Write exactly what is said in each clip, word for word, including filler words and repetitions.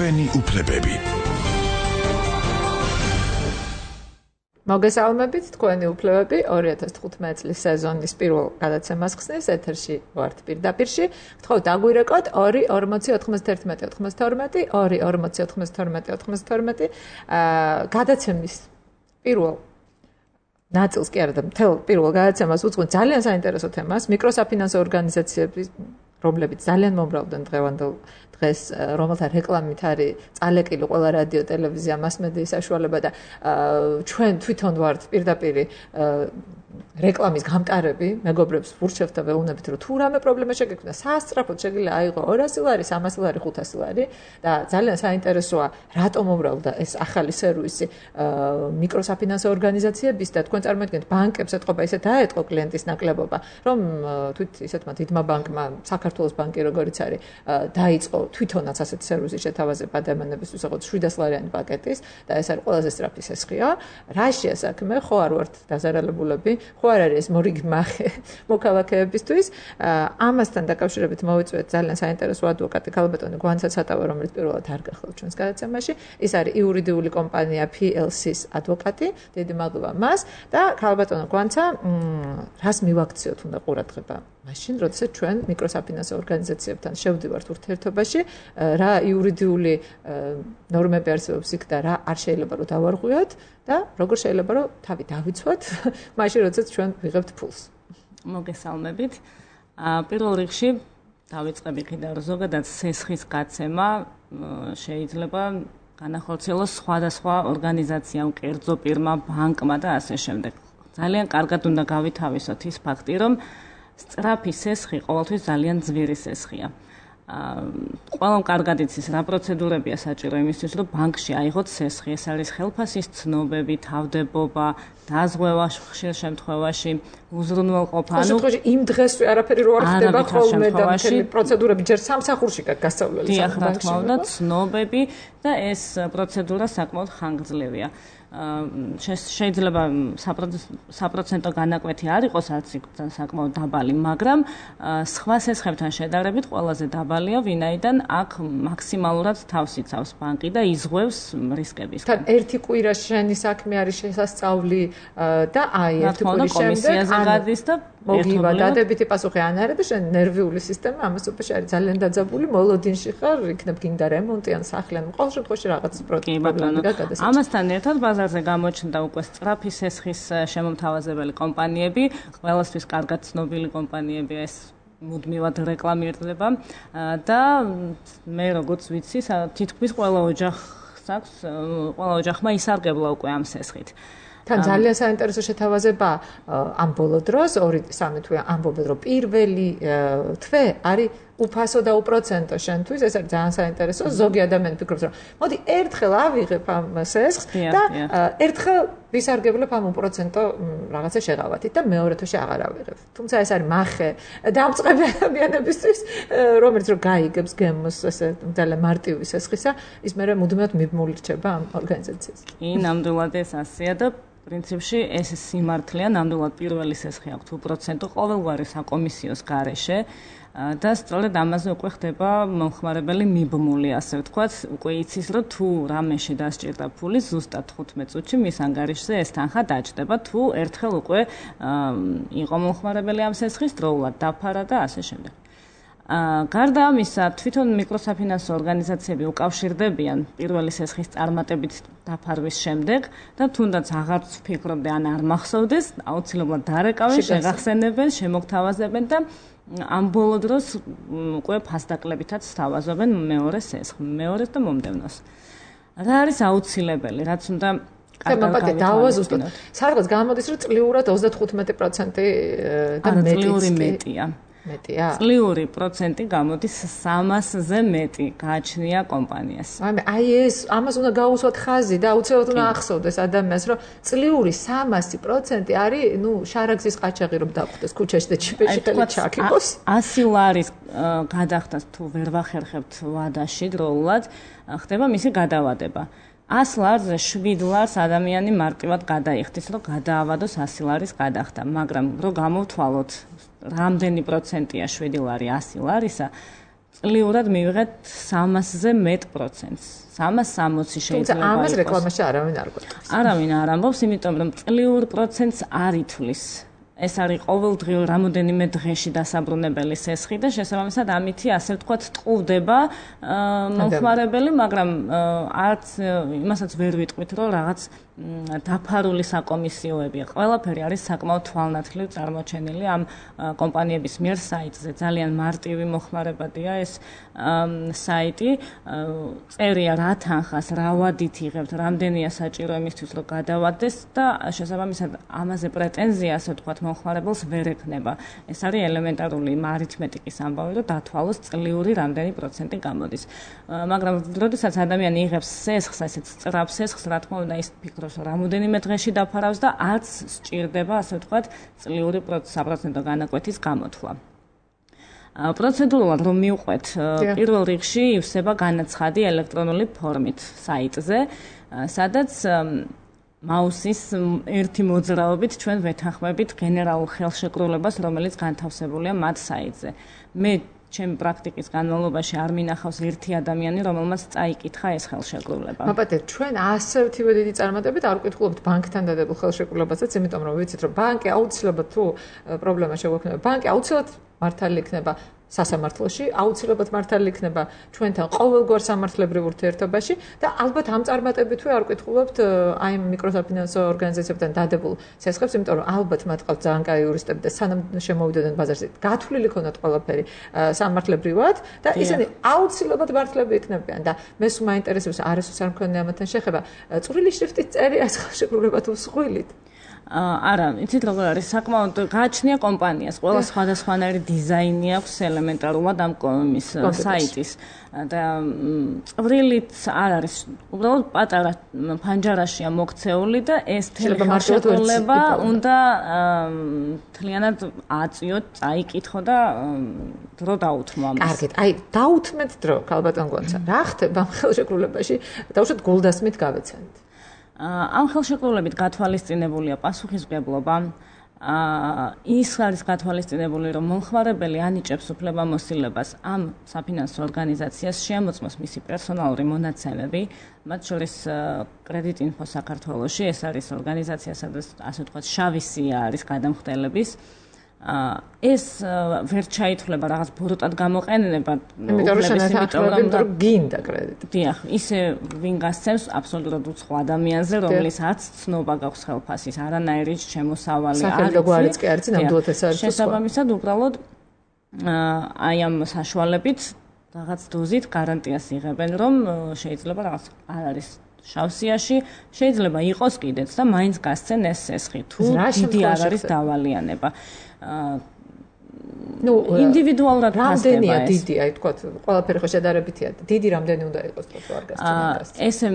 ჩვენი უფლებები. მოგესალმებით, თქვენი უფლებები ორი ათას თხუთმეტი წლის სეზონის პირველ გადაცემას ხსნის ეთერში ვართ პირდაპირში. გთხოვთ დაგვირეკოთ ორი ორმოცი ოთხმოცდაერთმეტი ოცდათორმეტი ორი ორმოცი ოთხმოცდათორმეტი ოცდათორმეტი გადაცემის პირველ ნაწილს კი არა და მთელ პირველ გადაცემას უძღვენ ძალიან საინტერესო თემას, მიკროსაფინანსო ორგანიზაციები, რომლებიც ძალიან მომრავლდნენ დღევანდელ დღეს, რომელთა რეკლამით არის წალეკილი ყველა რადიო, ტელევიზია, მასმედიის საშუალება და ჩვენ თვითონ ვართ პირდაპირ რეკლამის გამტარები, მეგობრებს ვურჩევთ და ვეუბნებით, რომ თუ რამე პრობლემა შეგექმნა, საასწრაფოდ შეგიძლია აიღო ორასი ლარი, სამასი ლარი, ხუთასი ლარი და ძალიან საინტერესოა, რატომ მომრავლდა ეს ახალი სერვისი მიკროსაფინანსო ორგანიზაციების და თქვენ წარმოიდგინეთ, ბანკებს ეთყობა ისე დაეთყო კლიენტის ნაკლებობა, რომ თვით ისეთმა დიდმა ბანკმა, საქართველოს ბანკი როგორიც არის, დაიწყო თვითონაც ასეთი სერვისი შეთავაზება ადამიანებისთვის, როგორც შვიდას ლარიანი პაკეტის და ეს არის ყველაზე სწრაფი სესხია. რაშია საქმე, ხო არ ვართ დაზარალებულები, ხო არ არის ეს მორიგი მახე მოქალაქეებისთვის. ამასთან დაკავშირებით მოვიწვიეთ ძალიან საინტერესო ადვოკატი ქალბატონი გვანცა ცატავა, რომელიც პირველად არ გახლავთ ჩვენს გადაცემაში. ის არის იურიდიული კომპანია P L C-ის ადვოკატი. დიდი მადლობა მას და ქალბატონო გვანცა, რას მივაქციოთ უნდა ყურადღება მაშინ, როდესაც ჩვენ მიკროსაფინანსო ორგანიზაციებთან შევდივართ ურთიერთობაში, რა იურიდიული ნორმები არსებობს იქ და რა არ შეიძლება რომ დავარღვიოთ და როგორ შეიძლება რომ თავი დავიცვათ, მაშინ როდესაც ჩვენ ვიღებთ ფულს. მოგესალმებით. პირველ რიგში დავიწყები კიდევ ზოგადად სესხის გაცემა შეიძლება განახორციელოს სხვადასხვა ორგანიზაციამ, კერძო პირმა, ბანკმა და ასე შემდეგ. ძალიან კარგად უნდა გავითავისოთ ის ფაქტი, რომ სწრაფი სესხი ყოველთვის ძალიან ძვირი სესხია. ყველამ კარგად იცის რა პროცედურებია საჭირო იმისთვის, რომ ბანკში აიღოთ სესხი. ეს არის ხელფასის ცნობები, თავდებობა, დაზღვევა ხშირ შემთხვევაში, უზრუნველყოფა. ანუ შემთხვევაში იმ დღესვე არაფერი რო არ ხდება ხოლმე და მთელი პროცედურები ჯერ სამსახურში გაქვს გასავლელი. დიახ, რა თქმა უნდა, ცნობები და ეს პროცედურა საკმაოდ ხანგრძლივია. შეიძლება საპროცენტო განაკვეთი არ იყოს არც იქ საკმაოდ დაბალი, მაგრამ სხვა სესხებთან შედარებით ყველაზე დაბალია, ვინაიდან აქ მაქსიმალურად თავს იცავს ბანკი და იზღვევს რისკების. თან ერთი კვირა შენი საქმე არის შესასწავლი და აი ერთი კვირის შემდეგ გადის და მოგივა დადებითი პასუხი ან არა და შენ ნერვიული სისტემა ამას უპეში არის ძალიან დაძაბული, მოლოდინში ხარ, იქნებ გინდა რემონტი ან სახლი ან ყოველ შემთხვევაში რაღაც პრობლემა გადასაჭიროა. ამასთან ერთად ბაზარზე გამოჩნდა უკვე სწრაფი სესხის შემომთავაზებელი კომპანიები, ყველასთვის კარგად ცნობილი კომპანიები, ეს მუდმივად რეკლამირდება და მე როგორც ვიცი, თითქმის ყველა ოჯახს აქვს, ყველა ოჯახმა ისარგებლა უკვე ამ სესხით. თან ძალიან საინტერესო შეთავაზება ამ ბოლო დროს, ორი სამი თვე ამბობენ, რომ პირველი თვე არის უფასო და უპროცენტო შენთვის, ეს არის ძალიან საინტერესო. ზოგი ადამიანი ფიქრობს, რომ მოდი ერთხელ ავიღებ ამ სესხს და ერთხელ ვისარგებლებ ამ უპროცენტო რაღაცა შეღავათით და მეორე თვეში აღარ ავიღებ. თუმცა ეს არის მახე დამწყები ადამიანებისთვის, რომელიც რომ გაიგებს გემოს ესე ძალიან მარტივი სესხისა, ის მერე მუდმივად მიბმული რჩება ამ ორგანიზაციას. კი, ნამდვილად ეს ასეა და პრინციპში ეს სიმართლეა, ნამდვილად პირველი სესხი აქვს უპროცენტო ყოველგვარი საკომისიოს გარეშე და სწორედ ამაზე უკვე ხდება მომხმარებელი მიბმული, ასე ვთქვათ, უკვე იცის, რომ თუ რამეში დასჭირდა ფული, ზუსტად თხუთმეტ წუთში მის ანგარიშზე ეს თანხა დაჭდება, თუ ერთხელ უკვე იყო მომხმარებელი ამ სესხის დროულად დაფარა და ასე შემდეგ. გარდა ამისა, თვითონ მიკროსაფინანსო ორგანიზაციები უკავშირდებიან პირველი სესხის წარმატებით დაფარვის შემდეგ და თუნდაც აღარც ვფიქრობდი ან არ მახსოვდეს, აუცილებლად დარეკავენ, შეგახსენებენ, შემოგთავაზებენ და ამ ბოლო დროს უკვე ფასდაკლებითაც სთავაზობენ მეორე სესხს, მეორეს და მომდევნოს. რა არის აუცილებელი, რაც უნდა კარგად დავაზუსტოთ. სადღაც გამოდის, რომ წლიურად ოცდათხუთმეტი პროცენტი და მეტია. მეტია. წლიური პროცენტი გამოდის სამასზე მეტი გააჩნია კომპანიას. აი ეს ამას უნდა გაუსვათ ხაზი და აუცილებლად უნდა ახსოვდეს ადამიანს, რომ წლიური სამასი პროცენტი არის, ნუ შარაგზის ყაჩაღი რომ დახვდეს ქუჩაში და ჩიპეში ხელი ჩაკიყოს. ასი ლარის გადახდას თუ ვერ ვახერხებთ ვადაში დროულად, ხდება მისი გადავადება. ას ლარზე შვიდ ლარს ადამიანი მარტივად გადაიხდის, რომ გადაავადოს ასი ლარის გადახდა, მაგრამ რომ გამოვთვალოთ რამდენი პროცენტია შვიდი ლარი ასი ლარისა, წლიურად მივიღეთ სამასზე მეტ პროცენტს. სამას სამოცი შეიძლება იყოს. თუმცა ამას რეკლამაში არავინ არ გვეტყვის. არავინ არ ამბობს, იმიტომ რომ წლიურ პროცენტს არ ითვლის. ეს არის ყოველდღიურ რამოდენიმე დღეში დასაბრუნებელი სესხი და შესაბამისად ამითი ასე ვთქვათ ტყუდება მომხმარებელი, მაგრამ არც იმასაც ვერ ვიტყვით, რომ რაღაც დაფარული საკომისიოებია. ყველაფერი არის საკმაოდ თვალნათლივ წარმოჩენილი ამ კომპანიების მიერ საიტზე. ძალიან მარტივი მოხმარებადია ეს საიტი. წერია რა თანხას, რა ვადით იღებთ, რამდენია საჭირო იმისთვის, რომ გადავადეს და შესაბამისად ამაზე პრეტენზია, ასე ვთქვათ, მომხმარებელს ვერ ექნება. ეს არის ელემენტარული არითმეტიკის ამბავი, რომ დათვალოს წლიური რამდენი პროცენტი გამოდის. მაგრამ როდესაც ადამიანი იღებს სესხს, ასეთ სწრაფ სესხს, რა თქმა უნდა, ის ფიქრობს, რომ რამოდენიმე დღეში დაფარავს და არც სჭირდება, ასე ვთქვათ, წლიური საპროცენტო განაკვეთის გამოთვლა. პროცედურულად რომ მივყვეთ, პირველ რიგში ივსება განაცხადი ელექტრონული ფორმით საიტზე, სადაც მაუსის ერთი მოძრაობით ჩვენ ვეთანხმებით გენერალურ ხელშეკრულებას, რომელიც განთავსებულია მათ საიტზე. მე ჩემი პრაქტიკის განმავლობაში არ მინახავს ერთი ადამიანი, რომელმაც წაიკითხა ეს ხელშეკრულება. მოგეთ, ჩვენ ასევ თივე დიდი წარმატებით არ ვკითხულობთ ბანკთან დადებულ ხელშეკრულებასაც, იმიტომ რომ ვიცით, რომ ბანკი აუცილებლად თუ პრობლემა შეგვექმნება, ბანკი აუცილებლად მართალი იქნება სასამართლოში, აუცილებლად მართალი იქნება ჩვენთან ყოველგვარ სამართლებრივ ურთიერთობაში და ალბათ ამ წარმატებით თუ არ ვკითხულობთ აი მიკროსაფინანსო ორგანიზაციებთან დადებულ სესხებს, იმიტომ რომ ალბათ მათ ყავთ ძალიან კაი იურისტები და სანამ შემოვიდოდნენ ბაზარზე, გათვლილი ქონდათ ყველაფერი სამართლებრივად და ისინი აუცილებლად მართლები იქნებიან და მე სულ მაინტერესებს არასდროს არ მქონია ამათთან შეხება. წვრილი შრიფტით წერია ხელშეკრულება თუ მსხვილით? არა, იცით როგორ არის, საკმაოდ გააჩნია კომპანიას, ყველა სხვადასხვანაირი დიზაინი აქვს ელემენტარულად ამ იმის საიტის და წვრილით არ არის, უბრალოდ პატარა ფანჯარაშია მოქცეული და ეს ხელშეკრულება უნდა მთლიანად აწიოთ, წაიკითხო და დრო დაუთმო ამას. კარგით, აი დაუთმეთ დრო, ქალბატონ გონცა. რა ხდება ამ ხელშეკრულებაში? დავუშვათ გულდასმით გავეცანით. ამ ხელშეკრულებით გათვალისწინებულია პასუხისმგებლობა. ის არის გათვალისწინებული, რომ მომხმარებელი ანიჭებს უფლებამოსილებას ამ საფინანსო ორგანიზაციას შეამოწმოს მისი პერსონალური მონაცემები, მათ შორის კრედიტინფო საქართველოში, ეს არის ორგანიზაცია, სადაც ასე ვთქვათ, შავი სია არის გადამხდელების. ეს ვერ ჩაითვლება რაღაც ბოროტად გამოყენება, იმიტომ რომ გინდა კრედიტი. დიახ, ისე ვინ გასცემს აბსოლუტურად უცხო ადამიანზე, რომლის არც ცნობა გაქვს ხელფასის, არანაირი შემოსავალი არ არის. საერთოდ კი არის, ნამდვილად ეს არის. შესაბამისად, უბრალოდ აი ამ საშუალებით რაღაც დოზით გარანტიას იღებენ, რომ შეიძლება რაღაც არ არის შავსიაში, შეიძლება იყოს კიდეც და მაინც გასცენ ეს სესხი, თუ დიდი არ არის დავალიანება. ნუ ინდივიდუალურად რამდენია დიდი, აი თქვა, ყველაფერი ხო შედარებითია. დიდი რამდენი უნდა იყოს თუ არ გასცენ. ესე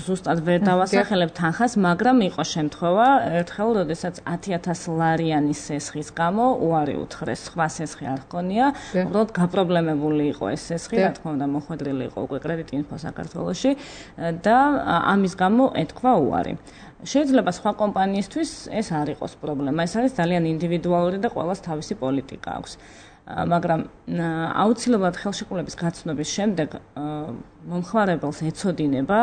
ზუსტად ვერ დავასახელებ თანხას, მაგრამ იყო შემთხვევა, ერთხელ, როდესაც ათი ათასი ლარიანი სესხის გამო უარი უთხრეს, სხვა სესხი არ ჰქონია, უბრალოდ გაპრობლემებული იყო ეს სესხი, რა თქმა უნდა, მოხვედრილი იყო უკვე კრედიტინფო საქართველოში და ამის გამო ეთქვა უარი. შეიძლება სხვა კომპანიისთვის ეს არ იყოს პრობლემა, ეს არის ძალიან ინდივიდუალური და ყველას თავისი პოლიტიკა აქვს. მაგრამ აუცილებლად ხელშეკრულების გაცნობის შემდეგ მომხმარებელს ეცოდინება,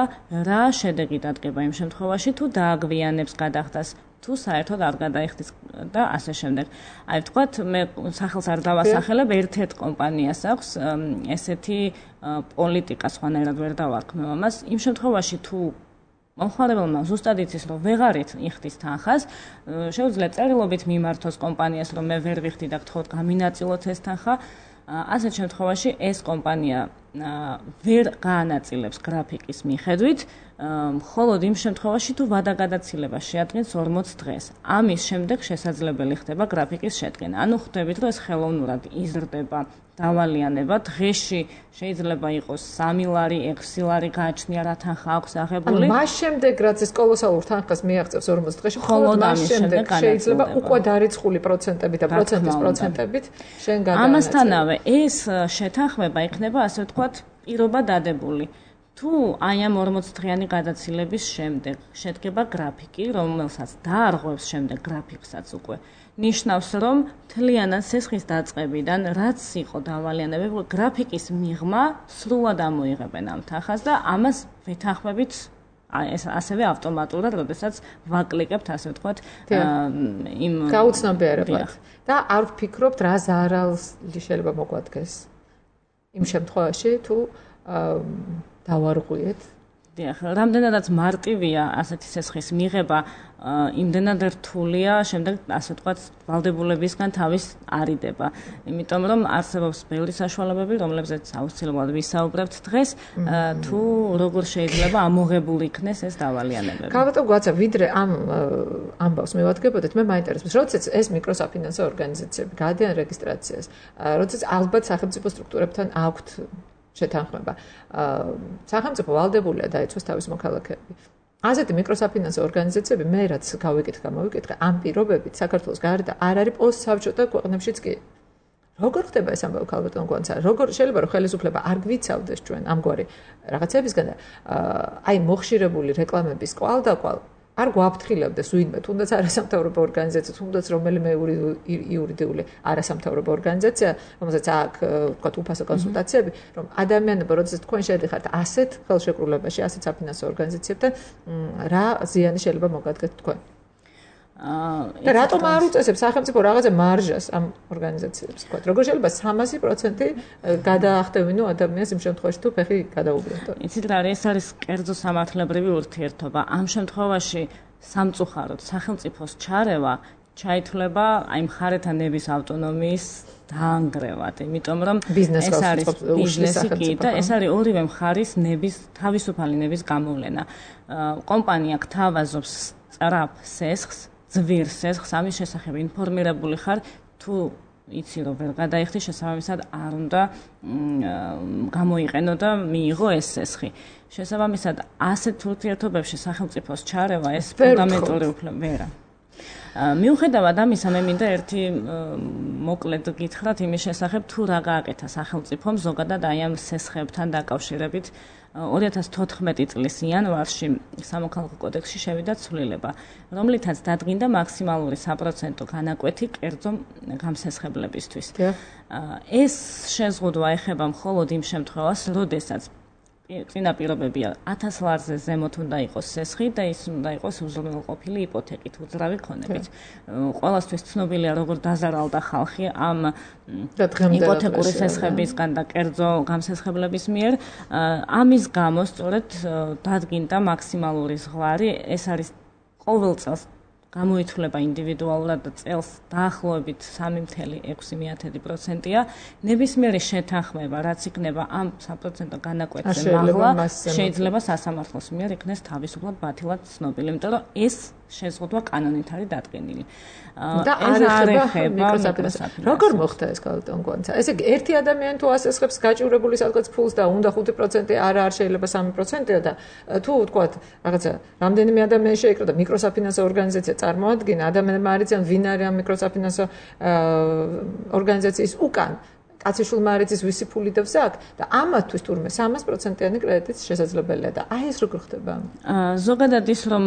რა შედეგი დადგება იმ შემთხვევაში, თუ დააგვიანებს გადახდას, თუ საერთოდ არ გადაიხდის და ასე შემდეგ. აი ვთქვათ, მე სახელს არ დავასახელებ, ერთ-ერთ კომპანიას აქვს ესეთი პოლიტიკა, სხვანაირად ვერ დავარქმევ ამას. იმ შემთხვევაში თუ მომხმარებელმა ზუსტად იცის, რომ ვეღარით იხდის თანხას, შეუძლია წერილობით მიმართოს კომპანიას, რომ მე ვერ ვიხდი და გთხოვთ გამინაწილოთ ეს თანხა. ასეთ შემთხვევაში ეს კომპანია ვერ გაანაწილებს გრაფიკის მიხედვით, მხოლოდ იმ შემთხვევაში, თუ ვადაგადაცილება შეადგენს ორმოც დღეს. ამის შემდეგ შესაძლებელი ხდება გრაფიკის შედგენა. ანუ ხვდებით, რომ ეს ხელოვნურად იზრდება დავალიანება, დღეში შეიძლება იყოს სამი ლარი, ექვსი ლარი გააჩნია რა თანხა აქვს აღებული. ანუ მას შემდეგ, რაც ეს კოლოსალურ თანხას მიაღწევს ორმოც დღეში, მხოლოდ მას შემდეგ შეიძლება უკვე დარიცხული პროცენტებით და პროცენტის პროცენტებით შენ გადაანაწილო. ამასთანავე ეს შეთანხმება იქნება, ასე ვთქვათ, პირობა დადებული. თუ აი ამ ორმოც დღიანი გადაცილების შემდეგ შედგება გრაფიკი, რომელსაც დაარღვევს შემდეგ გრაფიკსაც უკვე, ნიშნავს, რომ მთლიანად სესხის დაწყებიდან რაც იყო დავალიანებები, გრაფიკის მიღმა სრულად ამოიღებენ ამ თანხას და ამას ვეთანხმებით ეს ასევე ავტომატურად, როდესაც ვაკლიკებთ, ასე ვთქვათ, იმ გაუცნობიერებლად. და არ ვფიქრობთ, რა ზარალი შეიძლება მოგვადგეს იმ შემთხვევაში, თუ დავარღვიეთ. დიახ, რამდენადაც მარტივია ასეთი სესხის მიღება, იმდენად რთულია შემდეგ, ასე ვთქვათ, ვალდებულებისგან თავის არიდება. იმიტომ რომ არსებობს ბევრი საშუალებები, რომლებზეც აუცილებლად ვისაუბრებთ დღეს, თუ როგორ შეიძლება ამოღებული იქნეს ეს დავალიანებები. გავატო გვაცა, ვიდრე ამ ამბავს მევადგებოდეთ, მე მაინტერესებს, როდესაც ეს მიკროსაფინანსო ორგანიზაციები გადიან რეგისტრაციას, როდესაც ალბათ სახელმწიფო სტრუქტურებთან აქვთ შეთანხმება. სახელმწიფო ვალდებულია დაეცვას თავის მოქალაქეები. ასეთი მიკროსაფინანსო ორგანიზაციები მე რაც გავიკითხა, მოვიკითხა, ამ პირობებით საქართველოს გარდა არ არის პოსტსაბჭოთა ქვეყნებშიც კი. როგორ ხდება ეს ამბავი ქალბატონ გონცა? როგორ შეიძლება რომ ხელისუფლება არ გვიცავდეს ჩვენ ამგვარი რაღაცებისგან და აი მოხშირებული რეკლამების კვალ და კვალ არ გვაფრთხილებდეს ვინმე, თუნდაც არასამთავრობო ორგანიზაცია, თუნდაც რომელიმე იურიდიული არასამთავრობო ორგანიზაცია, რომელსაც აქვს, ვთქვათ, უფასო კონსულტაციები, რომ ადამიანები, როდესაც თქვენ შედიხართ ასეთ ხელშეკრულებაში, ასეთ საფინანსო ორგანიზაციებთან, რა ზიანი შეიძლება მოგადგეთ თქვენ? და რატომ არ უწესებს სახელმწიფო რაღაცა მარჟას ამ ორგანიზაციებს, ვთქვათ, როგორ შეიძლება სამასი პროცენტი გადაახტევინო ადამიანს იმ შემთხვევაში, თუ ფეხი გადაუგდოთ? იცით რა არის, ეს არის კერძო სამართლებრივი ურთიერთობა. ამ შემთხვევაში სამწუხაროდ სახელმწიფოს ჩარევა ჩაითვლება აი მხარეთა ნების ავტონომიის დაანგრევად, იმიტომ რომ ეს არის ბიზნესი კი და ეს არის ორივე მხარის ნების თავისუფალი ნების გამოვლენა. კომპანია გთავაზობს სწრაფ სესხს, ძვირ სესხს, ამის შესახებ ინფორმირებული ხარ, თუ იცი რომ ვერ გადაიხდი, შესაბამისად არ უნდა გამოიყენო და მიიღო ეს სესხი. შესაბამისად ასეთ ურთიერთობებში სახელმწიფოს ჩარევა ეს ფუნდამენტური უფლება ვერა. მიუხედავად ამისა, მე მინდა ერთი მოკლედ გითხრათ იმის შესახებ, თუ რა გააკეთა სახელმწიფომ ზოგადად აი ამ სესხებთან დაკავშირებით ორი ათას თოთხმეტი წლის იანვარში სამოქალაქო კოდექსში შევიდა ცვლილება, რომლითაც დადგინდა მაქსიმალური საპროცენტო განაკვეთი კერძო გამსესხებლებისთვის. ეს შეზღუდვა ეხება მხოლოდ იმ შემთხვევას, როდესაც წინა პირობებია ათას ლარზე ზემოთ უნდა იყოს სესხი და ის უნდა იყოს უზრუნველყოფილი იპოთეკით, უძრავი ქონებით. ყველასთვის ცნობილია, როგორ დაზარალდა ხალხი ამ იპოთეკური სესხებისგან და კერძო გამსესხებლების მიერ. ამის გამო სწორედ დადგინდა მაქსიმალური ზღვარი, ეს არის ყოველ წელს გამოითვლება ინდივიდუალურად და წელს დაახლოებით სამი წუთი ექვსი პროცენტია. ნებისმიერი შეთანხმება, რაც იქნება ამ საპროცენტო განაკვეთზე მაღლა, შეიძლება სასამართლოს მიერ იქნეს თავისუფლად ბათილად ცნობილი, იმიტომ რომ ეს შეზღუდვა კანონით არის დადგენილი. და არ ეხება მიკროსაფინანსო. როგორ მოხდა ეს ქალბატონ გონცა? ესე იგი ერთი ადამიანი თუ ასესხებს გაჭირებული სადღაც ფულს და უნდა ხუთი პროცენტი არა არ შეიძლება სამი პროცენტია და თუ ვთქვათ რაღაცა რამდენიმე ადამიანი შეიკრა და მიკროსაფინანსო ორგანიზაცია წარმოადგინა, ადამიანებმა არ იციან ვინ არის ამ მიკროსაფინანსო ორგანიზაციის უკან. კაციშვილმა არ იცის ვისი ფული და ვსაკ და ამათთვის თურმე სამას პროცენტიანი კრედიტიც შესაძლებელია და აი ეს როგორ ხდება? ზოგადად ის რომ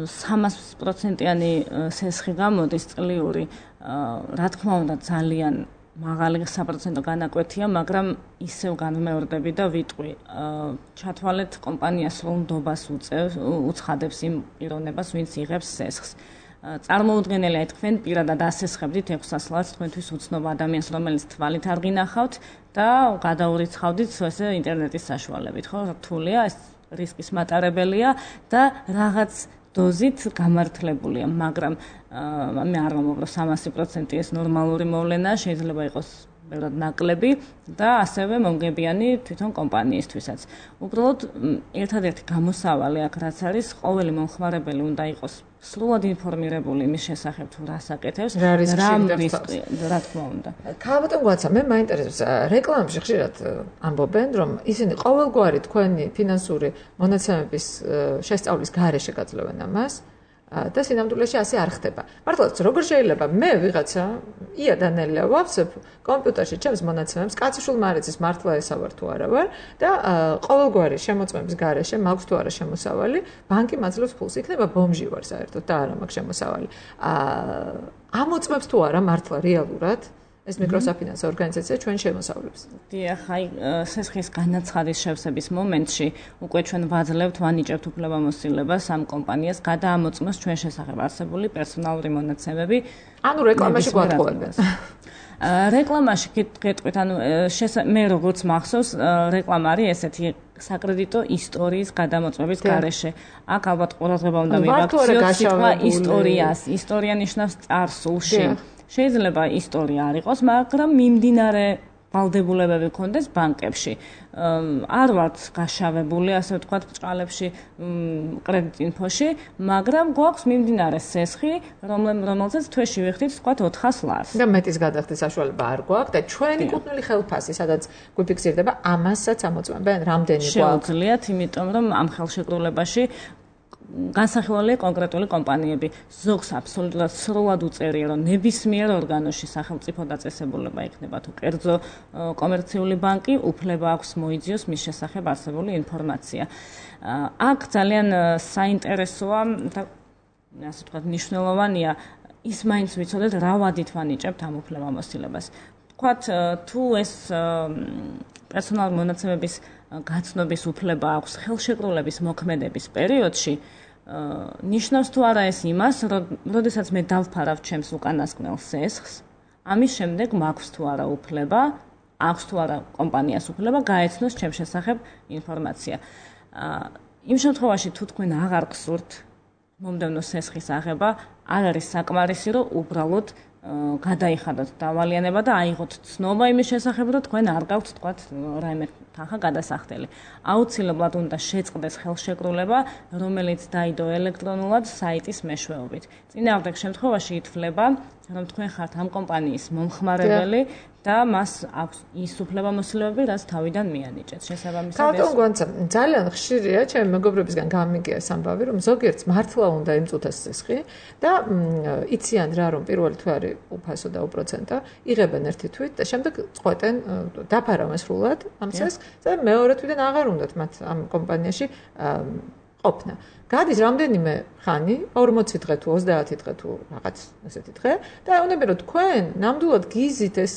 სამას პროცენტიანი სესხი გამოდის წლიური, რა თქმა უნდა ძალიან მაღალი საპროცენტო განაკვეთია, მაგრამ ისევ განმეორდები და ვიტყვი, ჩათვალეთ კომპანიას რომ ნდობას უწევს, უცხადებს იმ პიროვნებას, ვინც იღებს სესხს. წარმოუდგენელია თქვენ პირადად ასესხებდით ექვსას ლარს თქვენთვის უცნობ ადამიანს, რომელიც თვალით არ გინახავთ და გადაურიცხავდით ესე ინტერნეტის საშუალებით, ხო? რთულია, ეს რისკის მატარებელია და რაღაც დოზით გამართლებულია, მაგრამ მე არ ვამბობ, რომ სამასი პროცენტი ეს ნორმალური მოვლენაა, შეიძლება იყოს ბევრად ნაკლები და ასევე მომგებიანი თვითონ კომპანიისთვისაც. უბრალოდ ერთადერთი გამოსავალი აქ რაც არის, ყოველი მომხმარებელი უნდა იყოს სრულად ინფორმირებული იმის შესახებ, თუ რას აკეთებს, რა რისკი, რა თქმა უნდა. ქალბატონ გვაცა, მე მაინტერესებს, რეკლამებში ხშირად ამბობენ, რომ ისინი ყოველგვარი თქვენი ფინანსური მონაცემების შესწავლის გარეშე გაძლევენ ამას. და სინამდვილეში ასე არ ხდება. მართლაც როგორ შეიძლება მე ვიღაცა ია დანელია ვავსებ კომპიუტერში ჩემს მონაცემებს, კაციშვილ მარიძის მართლა ესავარ თუ არა ვარ და ყოველგვარი შემოწმების გარეშე მაქვს თუ არა შემოსავალი, ბანკი მაძლევს ფულს, იქნება ბომჟი ვარ საერთოდ და არა მაქვს შემოსავალი. ამოწმებს თუ არა მართლა რეალურად ეს მიკროსაფინანსო ორგანიზაცია ჩვენ შემოსავლებს. დიახ, აი სესხის განაცხადის შევსების მომენტში უკვე ჩვენ ვაძლევთ, ვანიჭებთ უფლებამოსილებას ამ კომპანიას გადაამოწმოს ჩვენ შესახებ არსებული პერსონალური მონაცემები. ანუ რეკლამაში გვატყუებენ. რეკლამაში გეტყვით, ანუ მე როგორც მახსოვს, რეკლამა არის ესეთი საკრედიტო ისტორიის გადამოწმების გარეშე. აქ ალბათ ყურადღება უნდა მივაქციოთ სიტყვა ისტორიას. ისტორია ნიშნავს წარსულში. შეიძლება ისტორია არ იყოს, მაგრამ მიმდინარე ვალდებულებები გქონდეს ბანკებში. არ ვართ გაშავებული, ასე ვთქვათ, ბრჭყალებში, კრედიტ ინფოში, მაგრამ გვაქვს მიმდინარე სესხი, რომელზეც თვეში ვიხდით, ვთქვათ, ოთხას ლარს. და მეტის გადახდის საშუალება არ გვაქვს და ჩვენი კუთვნილი ხელფასი, სადაც გვიფიქსირდება, ამასაც ამოწმებენ, რამდენი გვაქვს. შეუძლიათ, იმიტომ რომ ამ ხელშეკრულებაში განსახილველია კონკრეტული კომპანიები. ზოგს აბსოლუტურად სრულად უწერია, რომ ნებისმიერ ორგანოში სახელმწიფო დაწესებულება იქნება თუ კერძო კომერციული ბანკი, უფლება აქვს მოიძიოს მის შესახებ არსებული ინფორმაცია. აქ ძალიან საინტერესოა და ასე ვთქვათ, მნიშვნელოვანია ის მაინც ვიცოდეთ, რა ვადით ვანიჭებთ ამ უფლებამოსილებას. ვთქვათ, თუ ეს პერსონალური მონაცემების გაცნობის უფლება აქვს ხელშეკრულების მოქმედების პერიოდში, ნიშნავს თუ არა ეს იმას, რომ როდესაც მე დავფარავ ჩემს უკანასკნელ სესხს, ამის შემდეგ მაქვს თუ არა უფლება, აქვს თუ არა კომპანიას უფლება გაეცნოს ჩემს შესახებ ინფორმაცია. იმ შემთხვევაში თუ თქვენ აღარ გსურთ მომდევნო სესხის აღება, არ არის საკმარისი, რომ უბრალოდ გადაიხადოთ დავალიანება და აიღოთ ცნობა იმის შესახებ, რომ თქვენ არ გაქვთ, თქვათ, რაიმე თანხა გადასახდელი. აუცილებლად უნდა შეწყდეს ხელშეკრულება, რომელიც დაიდო ელექტრონულად საიტის მეშვეობით. წინააღმდეგ შემთხვევაში ითვლება, რომ თქვენ ხართ ამ კომპანიის მომხმარებელი და მას აქვს ის უფლებამოსილებები, რაც თავიდან მიანიჭეთ. შესაბამისად, ბატონ გონცა, ძალიან ხშირია ჩემი მეგობრებისგან გამიგია ეს ამბავი, რომ ზოგიერთს მართლა უნდა იმწუთოს სესხი და იციან რა, რომ პირველი თვე არის უფასო და უპროცენტო, იღებენ ერთი თვით და შემდეგ წყვეტენ დაფარავენ სრულად ამ სესხს და მეორე თვიდან აღარ უნდათ მათ ამ კომპანიაში ყოფნა. გადის რამდენიმე ხანი, ორმოცი დღე თუ ოცდაათი დღე თუ რაღაც ესეთი დღე და ეუბნები რომ თქვენ ნამდვილად გიზით ეს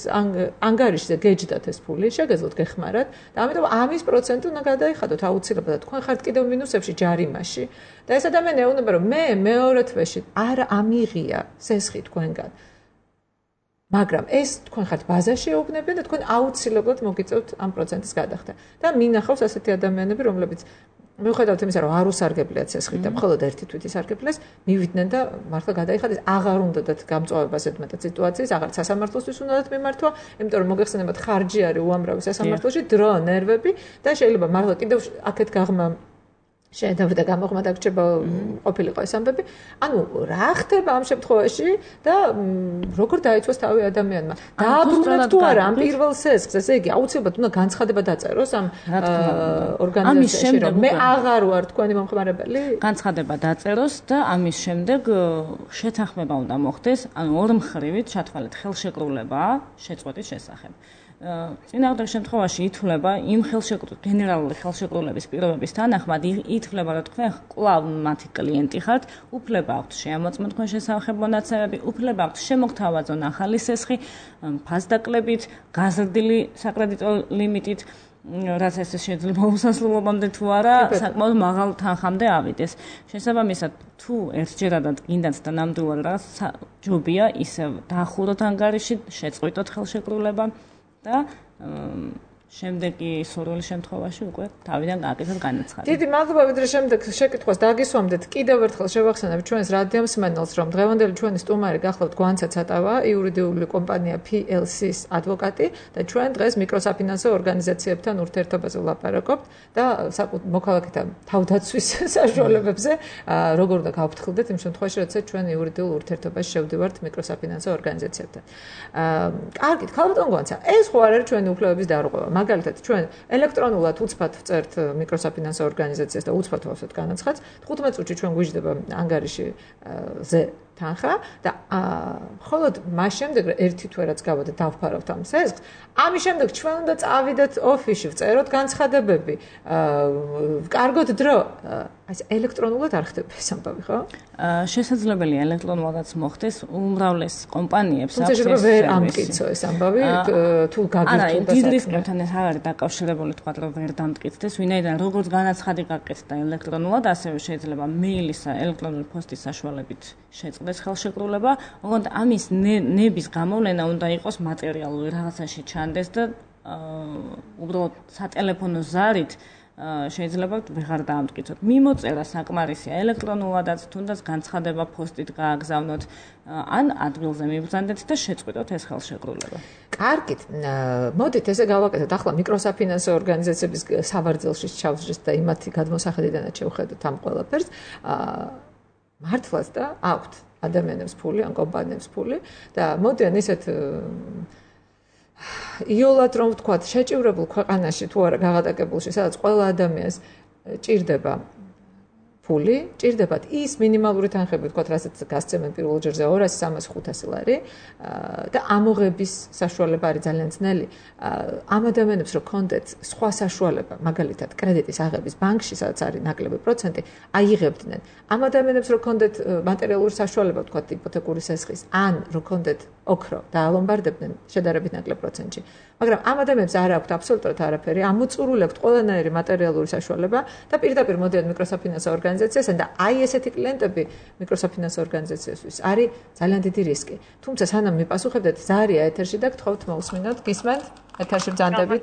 ანგარიშზე გეჯდათ ეს ფული, შეგეძლოთ გეხმარათ და ამიტომ ამის პროცენტი უნდა გადაიხადოთ აუცილებლად. თქვენ ხართ კიდევ მინუსებში ჯარიმაში და ეს ადამიანი ეუბნება რომ მე მეორე თვეში არ ამიღია სესხი თქვენგან. მაგრამ ეს თქვენ ხართ ბაზაში ეუბნებიან და თქვენ აუცილებლად მოგიწევთ ამ პროცენტის გადახდა. და მინახავს ასეთი ადამიანები, რომლებიც მიუხედავად იმისა, რომ არ უსარგებლიათ სესხით და მხოლოდ ერთი თვით ისარგებლეს, მივიდნენ და მართლა გადაიხადეს, აღარ უნდათ გამწვავებას ეთმეტად სიტუაციის, აღარ სასამართლოსთვის უნდათ მიმართვა, იმიტომ რომ მოგეხსენებათ ხარჯი არის უამრავი სასამართლოში, დრო, ნერვები და შეიძლება მართლა კიდევ აქეთ გაღმა შეედავ და გამოღმა დაგჭება ყოფილიყო ეს ამბები. ანუ რა ხდება ამ შემთხვევაში და როგორ დაიცვას თავი ადამიანმა? დააბრუნებს თუ არა ამ პირველ სესხს, ესე იგი აუცილებლად უნდა განცხადება დაწეროს ამ ორგანიზაციაში, რომ მე აღარ ვარ თქვენი მომხმარებელი? განცხადება დაწეროს და ამის შემდეგ შეთანხმება უნდა მოხდეს, ანუ ორმხრივით ჩათვალეთ ხელშეკრულება შეწყვეტის შესახებ. წინააღმდეგ შემთხვევაში ითვლება იმ ხელშეკრულების გენერალური ხელშეკრულების პირობების თანახმად ითვლება რომ თქვენ კვლავ მათი კლიენტი ხართ, უფლება აქვთ შეამოწმოთ თქვენ შესახებ მონაცემები, უფლება აქვთ შემოგთავაზონ ახალი სესხი ფასდაკლებით, გაზრდილი საკრედიტო ლიმიტით, რაც ეს შეიძლება უსასრულობამდე თუ არა, საკმაოდ მაღალ თანხამდე ავიდეს. შესაბამისად, თუ ერთჯერადად გინდათ და ნამდვილად რაღაც ჯობია ისევ დაახუროთ ანგარიში, შეწყვიტოთ ხელშეკრულება და შემდეგი სურვილი შემთხვევაში უკვე თავიდან გააკეთოთ განაცხადი. დიდი მადლობა, ვიდრე შემდეგ შეკითხვას დაგისვამდეთ. კიდევ ერთხელ შევახსენებ ჩვენს რადიომსმენელს, რომ დღევანდელი ჩვენი სტუმარი გახლავთ გვანცა ცატავა, იურიდიული კომპანია P L C-ის ადვოკატი და ჩვენ დღეს მიკროსაფინანსო ორგანიზაციებთან ურთიერთობაზე ვლაპარაკობთ და მოქალაქეთა თავდაცვის საშუალებებზე, როგორ უნდა გავფრთხილდეთ იმ შემთხვევაში, როცა ჩვენ იურიდიულ ურთიერთობაში შევდივართ მიკროსაფინანსო ორგანიზაციებთან. კარგით, ქალბატონ გვანცა, ეს ხო არ არის ჩვენი უფლებების დარღვევა. მაგალითად ჩვენ ელექტრონულად უცბად ვწერთ მიკროსაფინანსო ორგანიზაციას და უცბად ვავსებთ განაცხადს. თხუთმეტ წუთში ჩვენ გვიждდება ანგარიშზე თანხა და მხოლოდ მას შემდეგ ერთი თვე რაც გავადა დავფარავთ ამ სესხს, ამის შემდეგ ჩვენ უნდა წავიდეთ ოფისში, ვწეროთ განცხადებები, ვკარგოთ დრო. აი ელექტრონულად არ ხდება ეს ამბავი, ხო? შესაძლებელია ელექტრონულადაც მოხდეს უმრავლეს კომპანიებს აქვს ეს სერვისი. ვერ ამტკიცო ეს ამბავი, თუ გაგიწყდა და დიდ რისკებთან ეს არ არის დაკავშირებული, თქვა რომ ვერ დამტკიცდეს, ვინაიდან როგორც განაცხადი გაკეთდა ელექტრონულად, ასევე შეიძლება მეილის ელექტრონული პოსტის საშუალებით შეწყდეს ხელშეკრულება, ოღონდ ამის ნების გამოვლენა უნდა იყოს მატერიალური რაღაცაში ჩანდეს და უბრალოდ სატელეფონო ზარით შეიძლება ვეღარ დაამტკიცოთ. მიმოწერა საკმარისია ელექტრონულადაც, თუნდაც განცხადება პოსტით გააგზავნოთ, ან ადგილზე მიბრძანდეთ და შეწყვიტოთ ეს ხელშეკრულება. კარგით, მოდით ესე გავაკეთოთ. ახლა მიკროსაფინანსო ორგანიზაციების სავარძელში ჩავსჯეთ და იმათი გადმოსახედიდანაც შევხედოთ ამ ყველაფერს. მართლაც და აქვთ ადამიანებს ფული, ან კომპანიებს ფული და მოდიან ისეთ იოლად რომ ვთქვათ, შეჭივრებულ ქვეყანაში თუ არა გაღადაკებულში, სადაც ყველა ადამიანს ჭირდება ფული, ჭირდებათ ის მინიმალური თანხები, ვთქვათ, რასაც გასცემენ პირველ ჯერზე ორასი სამასი ხუთასი ლარი და ამოღების საშუალება არის ძალიან ძნელი. ამ ადამიანებს რო კონდეთ სხვა საშუალება, მაგალითად, კრედიტის აღების ბანკში, სადაც არის ნაკლები პროცენტი, აიღებდნენ. ამ ადამიანებს რო კონდეთ მატერიალური საშუალება, ვთქვათ, იპოთეკური სესხის, ან რო კონდეთ ოქრო და ალომბარდებდნენ შედარებით ნაკლებ პროცენტში. მაგრამ ამ ადამიანებს არ აქვთ აბსოლუტურად არაფერი, ამოწურული აქვთ ყველანაირი მატერიალური საშუალება და პირდაპირ მოდიან მიკროსაფინანსო ორგანიზაციასთან და აი ესეთი კლიენტები მიკროსაფინანსო ორგანიზაციისთვის არის ძალიან დიდი რისკი. თუმცა სანამ მიპასუხებდეთ, ზარია ეთერში და გთხოვთ მოусმინოთ, გისმენთ? ეთერში ბრძანდებით.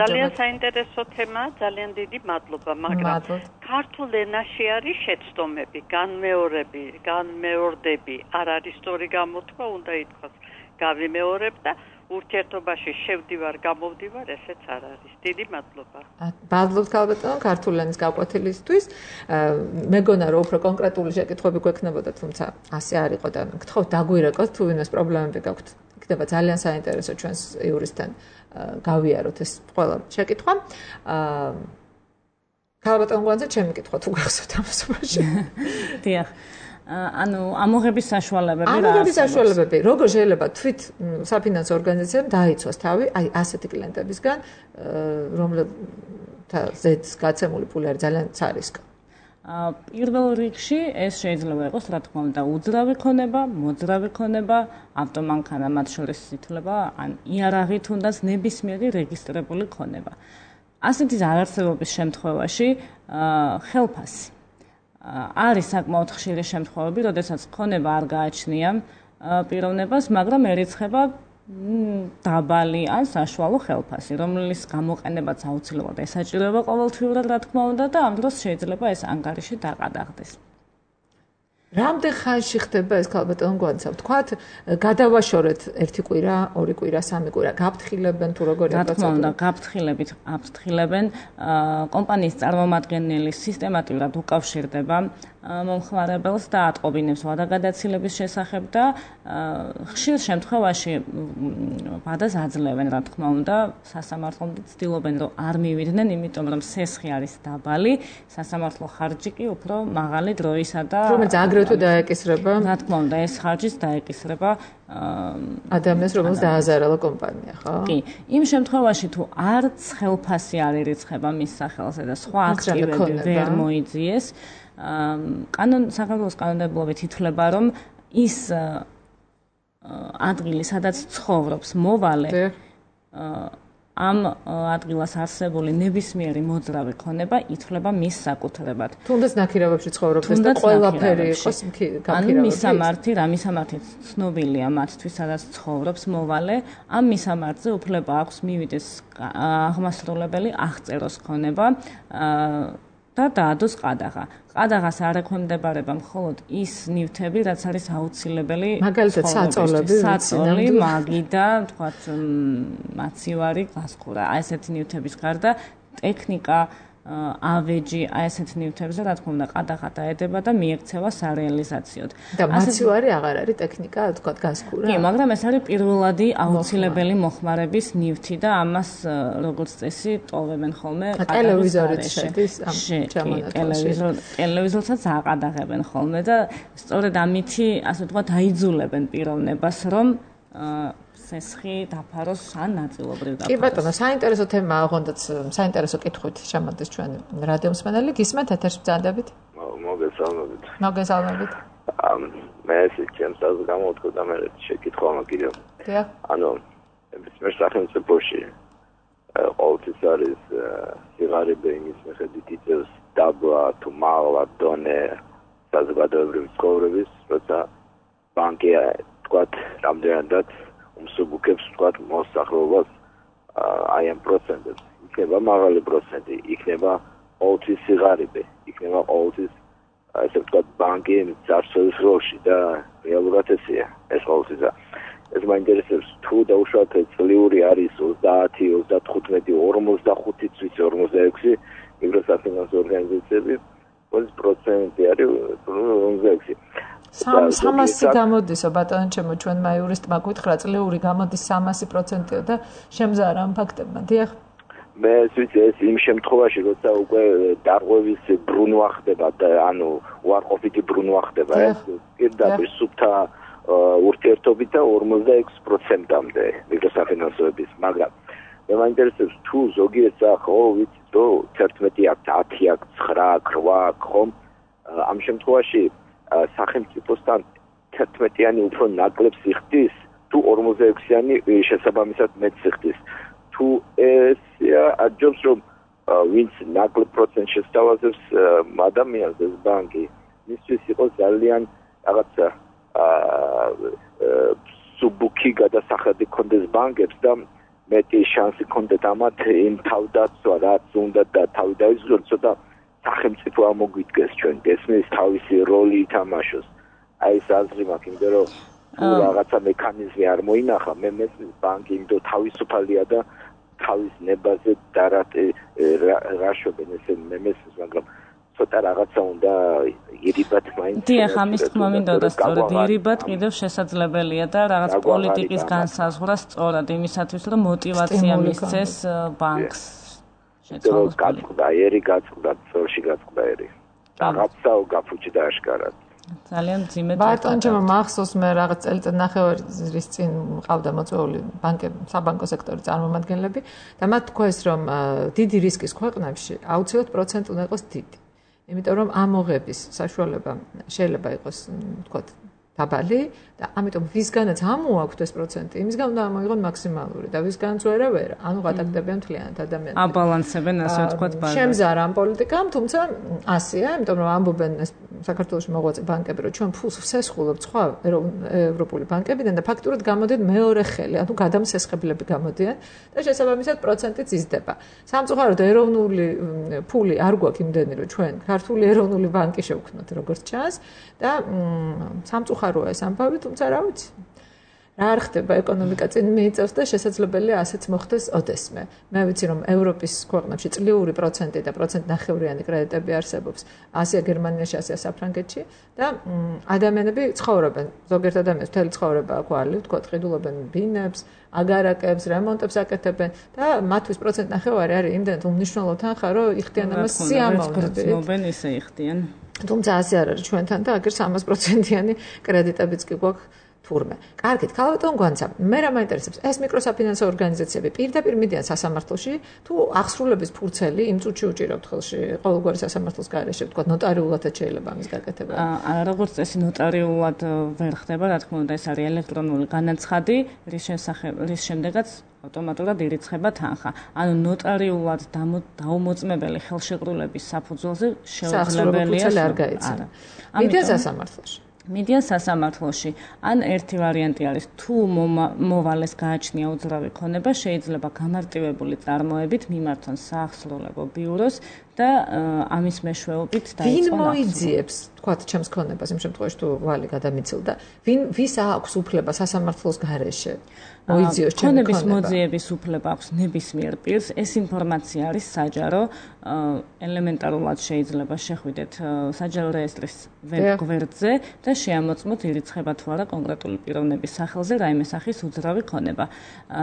ძალიან საინტერესო თემა, ძალიან დიდი მადლობა, მაგრამ ქართულ ენაში არის შეცდომები, განმეორები, განმეორდები, არ არის სწორი გამოთქვა, უნდა ითქვას, გავიმეორებ და ურთიერთობაში შევდივარ, გამოვდივარ, ესეც არ არის. დიდი მადლობა. მადლობთ ქალბატონო, ქართულ ენის გაკვეთილისთვის. მეგონა რომ უფრო კონკრეტული შეკითხვები გვექნებოდა, თუმცა ასე არ იყო და გთხოვთ დაგვირეკოთ, თუ ვინმეს პრობლემები გაქვთ. იქნება ძალიან საინტერესო ჩვენს იურისტთან გავიაროთ ეს ყველა შეკითხვა. ქალბატონო გვანძა ჩემი კითხვა თუ გახსოვთ ამასობაში. დიახ. ანუ ამოღების საშუალებები რა? ამოღების საშუალებები, როგორ შეიძლება თვით საფინანსო ორგანიზაციამ დაიცვას თავი აი ასეთი კლიენტებისგან, რომელთაზეც გაცემული ფული არის ძალიან ცარისკო. პირველ რიგში ეს შეიძლება იყოს, რა თქმა უნდა, უძრავი ქონება, მოძრავი ქონება, ავტომანქანა, მათ შორის ითვლება, ან იარაღი თუნდაც ნებისმიერი რეგისტრირებული ქონება. ასეთი არარსებობის შემთხვევაში ხელფასი არის საკმაოდ ხშირი შემთხვევები, როდესაც ქონება არ გააჩნია პიროვნებას, მაგრამ ერიცხება დაბალი ან საშუალო ხელფასი, რომლის გამოყენებაც აუცილებლად ესაჭიროება ყოველთვიურად, რა თქმა უნდა, და ამ დროს შეიძლება ეს ანგარიში დაყადაღდეს. რამდენ ხანში ხდება ეს ქალბატონო გვანცა? ვთქვათ, გადავაშორეთ ერთი კვირა, ორი კვირა, სამი კვირა, გაფრთხილებენ თუ როგორი პროცედურა? რა თქმა უნდა, გაფრთხილებით აფრთხილებენ. კომპანიის წარმომადგენელი სისტემატურად უკავშირდება მომხმარებელს და ატყობინებს ვადაგადაცილების შესახებ და ხშირ შემთხვევაში ვადას აძლევენ, რა თქმა უნდა, სასამართლომდე ცდილობენ, რომ არ მივიდნენ, იმიტომ რომ სესხი არის დაბალი, სასამართლო ხარჯი კი უფრო მაღალი დროისა და რომელიც აგრეთვე დაეკისრება. რა თქმა უნდა, ეს ხარჯიც დაეკისრება ადამიანს, რომელსაც დააზარალა კომპანია, ხო? კი. იმ შემთხვევაში თუ არც ხელფასი არ ირიცხება მის სახელზე და სხვა აქტივები ვერ მოიძიეს, კანონ საქართველოს კანონმდებლობით ითვლება, რომ ის ადგილი, სადაც ცხოვრობს მოვალე, ამ ადგილას არსებული ნებისმიერი მოძრავი ქონება ითვლება მის საკუთრებად. თუნდაც ნაქირავებში ცხოვრობდეს და ყველაფერი იყოს გაქირავებული. ანუ მისამართი, რა მისამართი ცნობილია მათთვის, სადაც ცხოვრობს მოვალე, ამ მისამართზე უფლება აქვს მივიდეს აღმასრულებელი აღწეროს ქონება და დაადოს ყადაღა. ყადაღას არ ექვემდებარება მხოლოდ ის ნივთები, რაც არის აუცილებელი, მაგალითად საწოლები, საწოლი, მაგიდა, თქვათ, მაცივარი, გასხურა. აი ესეთი ნივთების გარდა ტექნიკა, ავეჯი აი ესეთ ნივთებზე რა თქმა უნდა ყადაღა დაედება და მიექცევა სარეალიზაციოდ. და მაცივარი აღარ არის ტექნიკა, თქვა გასკურა. კი, მაგრამ ეს არის პირველადი აუცილებელი მოხმარების ნივთი და ამას როგორც წესი ტოვებენ ხოლმე ტელევიზორით შედის ამ ჩამონათვალში. ტელევიზორსაც აყადაღებენ ხოლმე და სწორედ ამითი, ასე ვთქვათ, აიძულებენ პიროვნებას, რომ სესხი დაფაროს ან ნაწილობრივ დაფაროს. კი ბატონო, საინტერესო თემაა, ოღონდაც საინტერესო კითხვით შემოდის ჩვენ რადიო მსმენელი. გისმენთ ეთერში ბრძანდებით? მოგესალმებით. მოგესალმებით. მე ესე ჩემს აზრს გამოვთქვა და მე შეკითხვა მაგირო. დიახ. ანუ მე სახელმწიფოში ყოველთვის არის სიღარიბე იმის მიხედვით იწევს დაბლა თუ მაღლა დონე საზოგადოებრივი ცხოვრების, როცა ბანკი თქვათ რამდენადაც უმსუბუქებს თქვათ მოსახლეობას აი ამ პროცენტებს. იქნება მაღალი პროცენტი, იქნება ყოველთვის სიღარიბე, იქნება ყოველთვის ესე ვთქვათ ბანკი ძარცველის როლში და რეალურად ესეა ეს ყოველთვის. ეს მაინტერესებს თუ დაუშვათ წლიური არის ოცდაათი, ოცდათხუთმეტი, ორმოცდახუთი, ორმოცდაექვსი მიკროსაფინანსო ორგანიზაციები, ორი პროცენტი არის ორმოცდაექვსი. სამასი გამოდისო ბატონო ჩემო ჩვენმა იურისტმა გითხრა წლიური გამოდის სამასი პროცენტიო და შემზარა ამ ფაქტებმა. დიახ. მე ვიცი ეს იმ შემთხვევაში როცა უკვე დარღვევის ბრუნვა ხდება და ანუ უარყოფითი ბრუნვა ხდება ეს პირდაპირ სუფთა ურთიერთობით და ორმოცდაექვსი პროცენტამდე მიკროსაფინანსოების, მაგრამ მე მაინტერესებს თუ ზოგიერთ ხო ვიცი რომ თერთმეტი აქვს, ათი აქვს, ცხრა აქვს, რვა აქვს ხომ ამ შემთხვევაში სახელმწიფოსთან თერთმეტიანი უფრო ნაკლებს იხდის თუ ორმოცდაექვსიანი შესაბამისად მეტს იხდის. თუ ეს აჯობს რომ ვინც ნაკლებ პროცენტს შესთავაზებს ადამიანს ეს ბანკი მისთვის იყოს ძალიან რაღაცა სუბუქი გადასახადი კონდეს ბანკებს და მეტი შანსი კონდეთ ამათ იმ თავდაცვა რაც უნდა და თავი დაიზღუდოს ცოტა სახელმწიფო ამოგვიდგეს ჩვენ გესმის თავისი როლი ითამაშოს. აი ეს აზრი მაქვს იმდენ რომ რაღაცა მექანიზმი არ მოინახა მე მესმის ბანკი იმდენ თავისუფალია და თავის ნებაზე დარატე რაშობენ ესე მე მესმის მაგრამ ცოტა რაღაცა უნდა ირიბად მაინც დიახ ამის თქმა მინდოდა სწორედ ირიბად კიდევ შესაძლებელია და რაღაც პოლიტიკის განსაზღვრა სწორად იმისათვის რომ мотиваცია მისცეს ბანკს შეცვალოს გაწყდა ერი გაწყდა წელში გაწყდა ერი რაღაცაო გაფუჭდა აშკარად ძალიან ძიმედ ბატონო ჩემო მახსოვს მე რაღაც წელიწად ნახევარის წინ მყავდა მოწვეული ბანკები საბანკო სექტორის წარმომადგენლები და მათ თქვეს რომ დიდი რისკის ქვეყნებში აუცილებლად პროცენტი უნდა იყოს დიდი იმიტომ რომ ამოღების საშუალება შეიძლება იყოს ვთქვათ დაბალი და ამიტომ ვისგანაც ამოაქვთ ეს პროცენტი იმისგან უნდა ამოიღონ მაქსიმალური და ვისგანაც ვერა ვერა ანუ გადაგდებიან მთლიანად ადამიანები აბალანსებენ ასე ვთქვათ ბაზარს შემზარა ამ პოლიტიკამ თუმცა ასეა იმიტომ რომ ამბობენ ეს საქართველოში მოღვაწე ბანკები რომ ჩვენ ფულს ვსესხულობთ სხვა ევროპული ბანკებიდან და ფაქტურად გამოდიან მეორე ხელი ანუ გადამსესხებლები გამოდიან და შესაბამისად პროცენტიც იზრდება სამწუხაროდ ეროვნული ფული არ გვაქვს იმდენი რომ ჩვენ ქართული ეროვნული ბანკი შევქმნათ როგორც ჩანს და სამწუხაროა ეს ამბავი თუმცა რა ვიცი რა არ ხდება ეკონომიკა წინ მიიწევს და შესაძლებელია ასეც მოხდეს ოდესმე მე ვიცი რომ ევროპის ქვეყნებში წლიური პროცენტი და პროცენტნახევრიანი კრედიტები არსებობს ასია გერმანიაში ასია საფრანგეთში და ადამიანები ცხოვრობენ ზოგიერთ ადამიანს მთელი ცხოვრება აქვალი ვთქვათ ყიდულობენ ბინებს აგარაკებს რემონტებს აკეთებენ და მათთვის პროცენტნახევარი არის იმდენად უმნიშვნელო თანხა რომ იხდიან ამას სიამოვნებით გრძნობენ ისე იხდიან თუმცა ასე არ არის ჩვენთან და აგერ სამას პროცენტიანი კრედიტებიც კი გვაქვს თურმე. კარგით, ქალბატონ გვანცა, მე რა მაინტერესებს, ეს მიკროსაფინანსო ორგანიზაციები პირდაპირ მიდიან სასამართლოში, თუ აღსრულების ფურცელი იმ წუთში უჭირავთ ხელში ყოველგვარი სასამართლოს გარეშე, ვთქვათ, ნოტარიულადაც შეიძლება ამის გაკეთება. აა, როგორც წესი ნოტარიულად ვერ ხდება, რა თქმა უნდა, ეს არის ელექტრონული განაცხადი, რის შესახებ, რის შემდეგაც ავტომატურად ირიცხება თანხა. ანუ ნოტარიულად დაუმოწმებელი ხელშეკრულების საფუძველზე შეუძლებელია არ გაიცემა. მიდიან სასამართლოში. მიდიან სასამართლოში. ან ერთი ვარიანტი არის, თუ მოვალეს გააჩნია უძრავი ქონება, შეიძლება გამარტივებული წარმოებით მიმართონ საახსრულებო ბიუროს და ამის მეშვეობით დაიწყონ. ვინ მოიძიებს, თქვათ, ჩემს ქონებას იმ შემთხვევაში თუ ვალი გადამიცილდა, ვინ ვის აქვს უფლება სასამართლოს გარეშე? მოიძიოს ჩემი ქონება. ქონების მოძიების უფლება აქვს ნებისმიერ პირს. ეს ინფორმაცია არის საჯარო. ელემენტარულად შეიძლება შეხვიდეთ საჯარო რეესტრის ვებგვერდზე და შეამოწმოთ ირიცხება თუ არა კონკრეტული პიროვნების სახელზე რაიმე სახის უძრავი ქონება.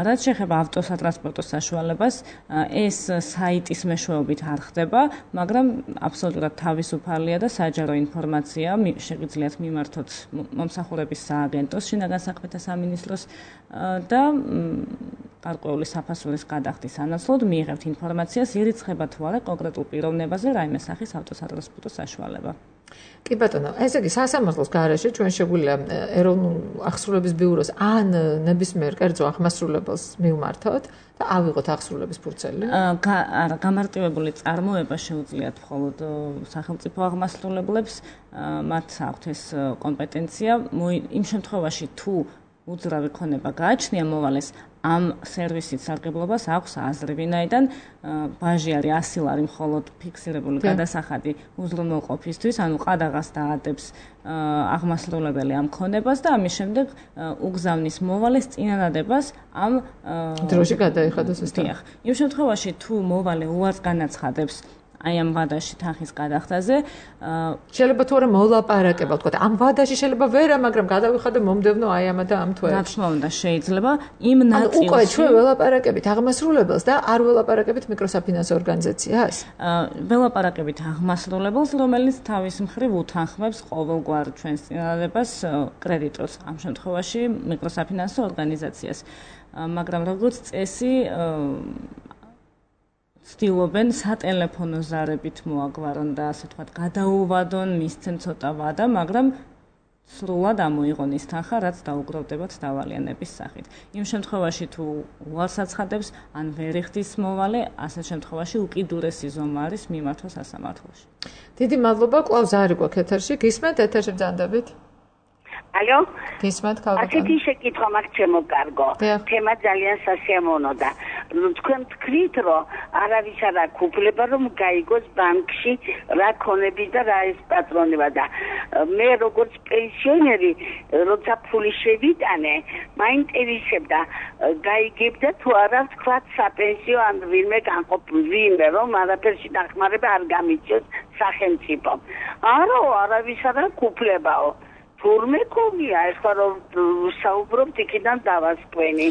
რაც შეეხება ავტოსატრანსპორტო საშუალებას, ეს საიტის მეშვეობით არ ხდება, მაგრამ აბსოლუტურად თავისუფალია და საჯარო ინფორმაცია შეგიძლიათ მიმართოთ მომსახურების სააგენტოს, შინაგან საქმეთა სამინისტროს და გარკვეული საფასურის გადახდის ანაცვლოდ მიიღებთ ინფორმაციას ირიცხება თუ არა კონკრეტულ პიროვნებაზე რაიმე სახის ავტოსატრანსპორტო საშუალება. კი ბატონო, ესე იგი სასამართლოს გარეშე ჩვენ შეგვიძლია ეროვნულ ახსრულების ბიუროს ან ნებისმიერ კერძო აღმასრულებელს მივმართოთ და ავიღოთ ახსრულების ფურცელი. არა, გამარტივებული წარმოება შეუძლიათ მხოლოდ სახელმწიფო აღმასრულებლებს, მათ აქვთ ეს კომპეტენცია. იმ შემთხვევაში თუ უძრავი ქონება გააჩნია მოვალეს ამ სერვისით სარგებლობას აქვს აზრი, ვინაიდან ბაჟი არის ასი ლარი მხოლოდ ფიქსირებული გადასახადი უზრუნველყოფისთვის, ანუ ყადაღას დაადებს აღმასრულებელი ამ ქონებას და ამის შემდეგ უგზავნის მოვალეს წინადადებას ამ დროში გადაიხადოს ეს თქმა. იმ შემთხვევაში თუ მოვალე უარს განაცხადებს აი ამ ვადაში თანხის გადახდაზე შეიძლება თუ არა მოლაპარაკება, თქვა ამ ვადაში შეიძლება ვერა, მაგრამ გადავიხადე მომდევნო აი ამა და ამ თვეებში. რა თქმა უნდა, შეიძლება იმ ნაწილში. უკვე ჩვენ ველაპარაკებით აღმასრულებელს და არ ველაპარაკებით მიკროსაფინანსო ორგანიზაციას? ველაპარაკებით აღმასრულებელს, რომელიც თავის მხრივ უთანხმებს ყოველგვარ ჩვენს წინადადებას კრედიტორს, ამ შემთხვევაში მიკროსაფინანსო ორგანიზაციას. მაგრამ როგორც წესი ცდილობენ სატელეფონო ზარებით მოაგვარონ და ასე ვთქვათ გადაუვადონ, მისცენ ცოტა ვადა, მაგრამ სრულად ამოიღონ ის თანხა, რაც დაუგროვდებათ დავალიანების სახით. იმ შემთხვევაში თუ უარს აცხადებს, ან ვერ იხდის მოვალე, ასეთ შემთხვევაში უკიდურესი ზომა არის მიმართვა სასამართლოში. დიდი მადლობა, კვლავ ზარი გვაქვს ეთერში. გისმენთ ეთერში ბრძანდებით? ალო? გისმენთ, ქალბატონო. ასეთი შეკითხვა მაქვს ჩემო კარგო. თემა ძალიან სასიამოვნო და თქვენ თქვით, რომ არავის არ აქვს უფლება, რომ გაიგოს ბანკში რა ქონები და რა ეს პატრონება და მე როგორც პენსიონერი, როცა ფული შევიტანე, მაინტერესებდა გაიგებდა თუ არა თქვა საპენსიო ან ვინმე განყოფილ ვინმე, რომ არაფერში დახმარება არ გამიწევს სახელმწიფომ. არა, არავის არ აქვს უფლებაო. თურმე კომია, ეხლა რომ საუბრობთ იქიდან დავასკვენი.